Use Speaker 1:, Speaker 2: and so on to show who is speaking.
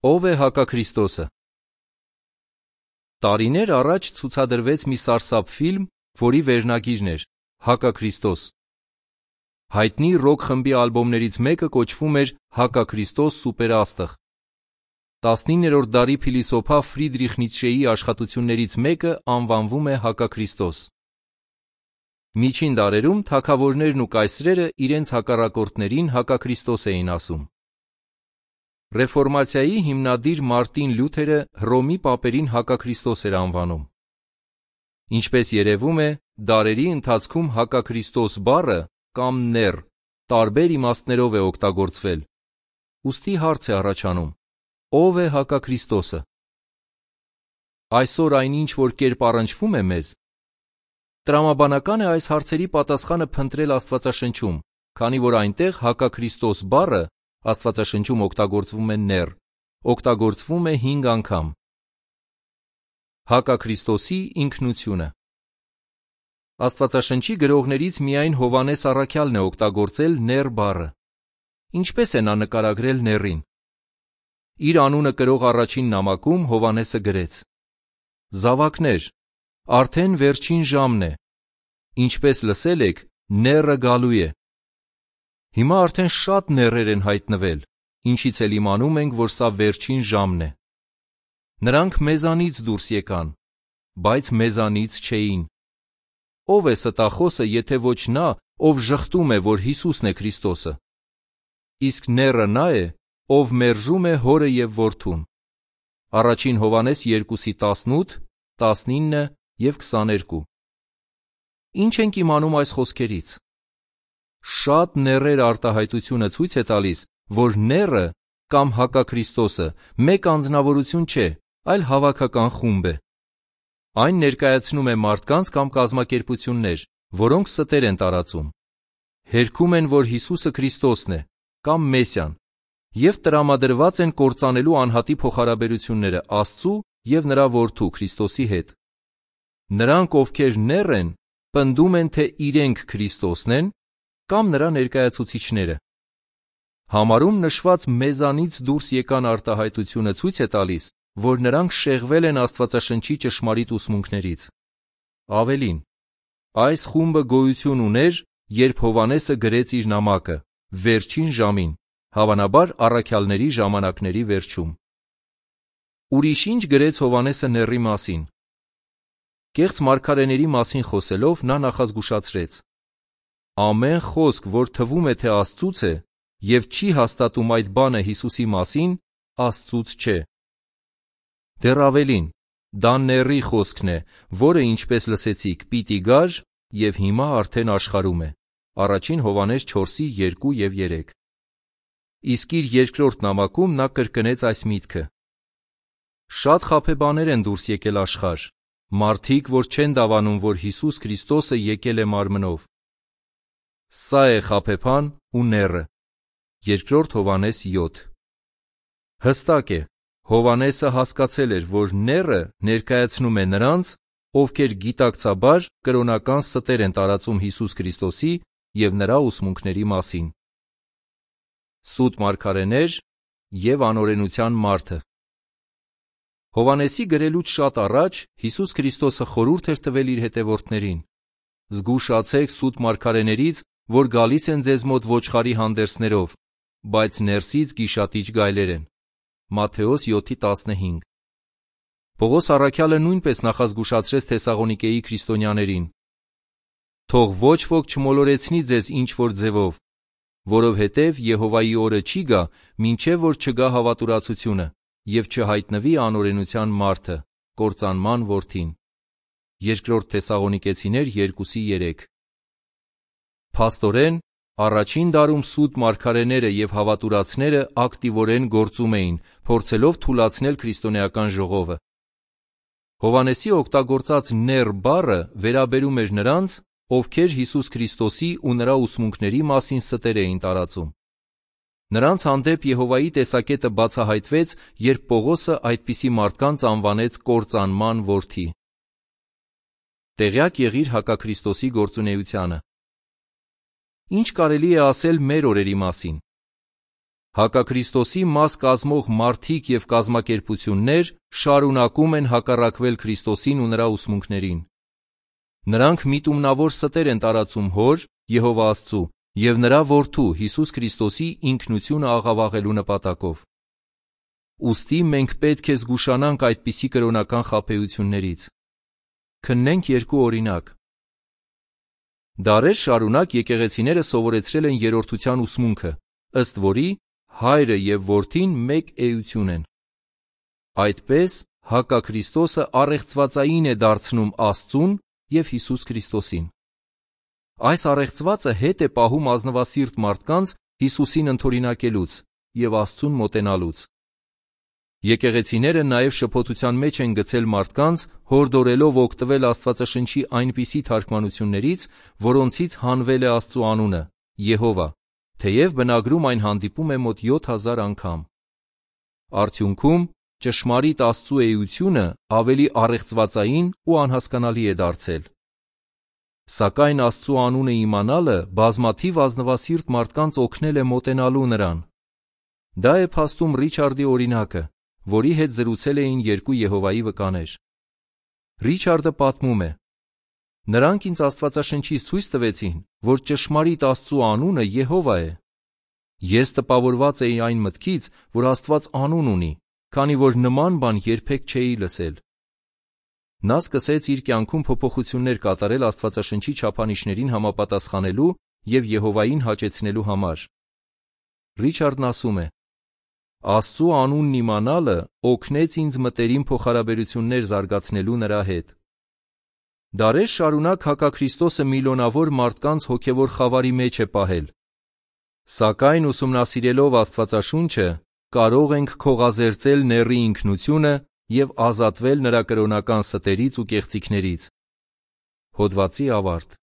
Speaker 1: Ո՞վ է հակաքրիստոսը։ Տարիներ առաջ ցուցադրվեց մի սարսափ ֆիլմ, որի վերնագիրն էր «Հակաքրիստոս»։ Հայտնի ռոք խմբի ալբոմներից մեկը կոչվում էր «Հակաքրիստոս սուպերաստղ»։ 19-րդ դարի փիլիսոփա Ֆրիդրիխ Նիցշեի աշխատություններից մեկը անվանվում է «Հակաքրիստոս»։ Միջին դարերում թագավորներն ու կայսրերը իրենց հակառակորդներին հակաքրիստոս էին ասում։ Ռեֆորմացիայի հիմնադիր Մարտին Լյութերը Հռոմի պապերին հակաքրիստոս էր անվանում։ Ինչպես երևում է, դարերի ընթացքում հակաքրիստոս բառը կամ նեռ տարբեր իմաստներով է օգտագործվել։ Ուստի հարց է առաջանում. ո՞վ է հակաքրիստոսը։ Այսօր այն ինչ որ կերպ առնչվում է մեզ, տրամաբանական է այս հարցերի պատասխանը փնտրել Աստվածաշնչում, քանի որ այնտեղ հակաքրիստոս բառը Աստվածաշնչում օգտագործվում է նեռ, օգտագործվում է 5 անգամ։ Հակաքրիստոսի ինքնությունը։ Աստվածաշնչի գրողներից միայն Հովհաննես առաքյալն է օգտագործել նեռ բառը։ Ինչպես է նա նկարագրել նեռին։ Իր անունը կրող առաջին նամակում Հովհաննեսը գրեց. «Զավակներ, արդեն վերջին ժամն է, ինչպես լսել եք, նեռը գալու է»։ Հիմա արդեն շատ նեռեր են հայտնվել, ինչից էլ իմանում ենք, որ սա վերջին ժամն է։ Նրանք մեզանից դուրս եկան, բայց մեզանից չէին։ Ո՞վ է ստախոսը, եթե ոչ նա, ով ժխտում է, որ Հիսուսն է Քրիստոսը։ Իսկ նեռը նա է, ով մերժում է Հորը և Որդուն։ Առաջին Հովհաննես 2:18, 19 և 22։ Ինչ ենք իմանում այս խոսքերից։ Շատ նեռեր արտահայտությունը ցույց է տալիս, որ նեռը կամ հակաքրիստոսը մեկ անձնավորություն չէ, այլ հավաքական խումբ է։ Այն ներկայացնում է մարդկանց կամ կազմակերպություններ, որոնք ստեր են տարածում։ Հերքում են, որ Հիսուսը Քրիստոսն է կամ Մեսիան, և տրամադրված են կործանելու անհատի փոխհարաբերությունները Աստծու և նրա Որդու Քրիստոսի հետ։ Նրանք, ովքեր նեռ են, պնդում են, թե իրենք Քրիստոսն են կամ նրա ներկայացուցիչները։ Համարում նշված մեզանից դուրս եկան արտահայտությունը ցույց է տալիս, որ նրանք շեղվել են Աստվածաշնչի ճշմարիտ ուսմունքներից։ Ավելին, այս խումբը գոյություն ուներ, երբ Հովհաննեսը գրեց իր նամակը, վերջին ժամին, հավանաբար առաքյալների ժամանակների վերջում։ Ուրիշ ինչ գրեց Հովհաննեսը նեռի մասին։ Կեղծ մարգարեների մասին խոսելով նա նախազգուշացրեց. ամեն խոսք, որ թվում է, թե Աստծուց է, և չի հաստատում այդ բանը Հիսուսի մասին, Աստծուց չէ։ Դեռ ավելին, դա նեռի խոսքն է, որը, ինչպես լսեցիք, պիտի գար և հիմա արդեն աշխարհում է։ Առաջին Հովհաննես 4:2 և 3։ Իսկ իր երկրորդ նամակում նա կրկնեց այս միտքը. շատ խաբեբաներ են դուրս եկել աշխարհ, մարդիկ, որ չեն դավանում, որ Հիսուս Քրիստոսը եկել է մարմնով։ Սա է խաբեբան ու նեռը։ Երկրորդ Հովհաննես 7։ Հստակ է, Հովհաննեսը հասկացել էր, որ նեռը ներկայացնում է նրանց, ովքեր գիտակցաբար կրոնական ստեր են տարածում Հիսուս Քրիստոսի և նրա ուսմունքների մասին։ Սուտ մարգարեներ և անօրենության մարդը։ Հովհաննեսի գրելուց շատ առաջ Հիսուս Քրիստոսը խորհուրդ էր տվել իր հետևորդներին. «Զգուշացեք սուտ մարգարեներից, որ գալիս են ձեզ մոտ ոչխարի հանդերձներով, բայց ներսից գիշատիչ գայլեր են»։ Մատթեոս 7:15։ Պողոս առաքյալը նույնպես նախազգուշացրեց Թեսաղոնիկեի քրիստոնյաներին. «Թող ոչ ոք չմոլորեցնի ձեզ ինչ-որ ձևով, որովհետև Եհովայի օրը չի գա, մինչև որ չգա հավատուրացությունը և չհայտնվի անօրենության մարդը, կործանման որդին»։ Երկրորդ Թեսաղոնիկեցիներ 2:3։ Փաստորեն, առաջին դարում սուտ մարգարեները և հավատուրացները ակտիվորեն գործում էին, փորձելով թուլացնել քրիստոնեական ժողովը։ Հովհաննեսի օգտագործած նեռ բառը վերաբերում էր նրանց, ովքեր Հիսուս Քրիստոսի ու նրա ուսմունքների մասին ստեր էին տարածում։ Նրանց հանդեպ Եհովայի տեսակետը բացահայտվեց, երբ Պողոսը այդպիսի մարդկանց անվանեց կործանման որդի։ Տեղյակ եղիր հակաքրիստոսի գործունեությանը։ Ինչ կարելի է ասել մեր օրերի մասին։ Հակաքրիստոսի մաս կազմող մարդիկ և կազմակերպություններ շարունակում են հակառակվել Քրիստոսին ու նրա ուսմունքներին։ Նրանք միտումնավոր ստեր են տարածում Հոր, Եհովա Աստծու և նրա Որդու Հիսուս Քրիստոսի ինքնությունը աղավաղելու նպատակով։ Ուստի մենք պետք է զգուշանանք այդպիսի կրոնական խաբեություններից։ Քննենք երկու օրինակ։ Դարեր շարունակ եկեղեցիները սովորեցրել են երրորդության ուսմունքը, ըստ որի Հայրը և Որդին մեկ էություն են։ Այդպես հակաքրիստոսը առեղծվածային է դարձնում Աստծուն և Հիսուս Քրիստոսին։ Այս առեղծվածը հետ է պահում ազնվասիրտ մարդկանց Հիսուսին ընդօրինակելուց և Աստծուն մոտենալուց։ Եկեղեցիները նաև շփոթության մեջ են գցել մարդկանց, հորդորելով օգտվել Աստվածաշնչի այնպիսի թարգմանություններից, որոնցից հանվել է Աստծու անունը՝ Եհովա, թեև բնագրում այն հանդիպում է մոտ 7000 անգամ։ Արդյունքում ճշմարիտ Աստծու էությունը ավելի առեղծվածային ու անհասկանալի է դարձել։ Սակայն Աստծու անունը իմանալը բազմաթիվ ազնվասիրտ մարդկանց օգնել է մոտենալու նրան։ Դա է փաստում Ռիչարդի օրինակը, որի հետ զրուցել էին երկու Եհովայի վկաներ։ Ռիչարդը պատմում է. «Նրանք ինձ Աստվածաշնչից ցույց տվեցին, որ ճշմարիտ Աստծու անունը Եհովա է։ Ես տպավորված էի այն մտքից, որ Աստված անուն ունի, քանի որ նման բան երբեք չէի լսել»։ Նա սկսեց իր կյանքում փոփոխություններ կատարել Աստվածաշնչի չափանիշներին համապատասխանելու և Եհովային հաճեցնելու համար։ Ռիչարդն ասում է. «Աստծու անունն իմանալը օգնեց ինձ մտերիմ փոխհարաբերություններ զարգացնելու նրա հետ»։ Դարեր շարունակ հակաքրիստոսը միլիոնավոր մարդկանց հոգևոր խավարի մեջ է պահել։ Սակայն ուսումնասիրելով Աստվածաշունչը կարող ենք քողազերծել նեռի ինքնությունը և ազատվել նրա կրոնական ստերից ու կեղծիքներից։ Հոդվացի ավարտ։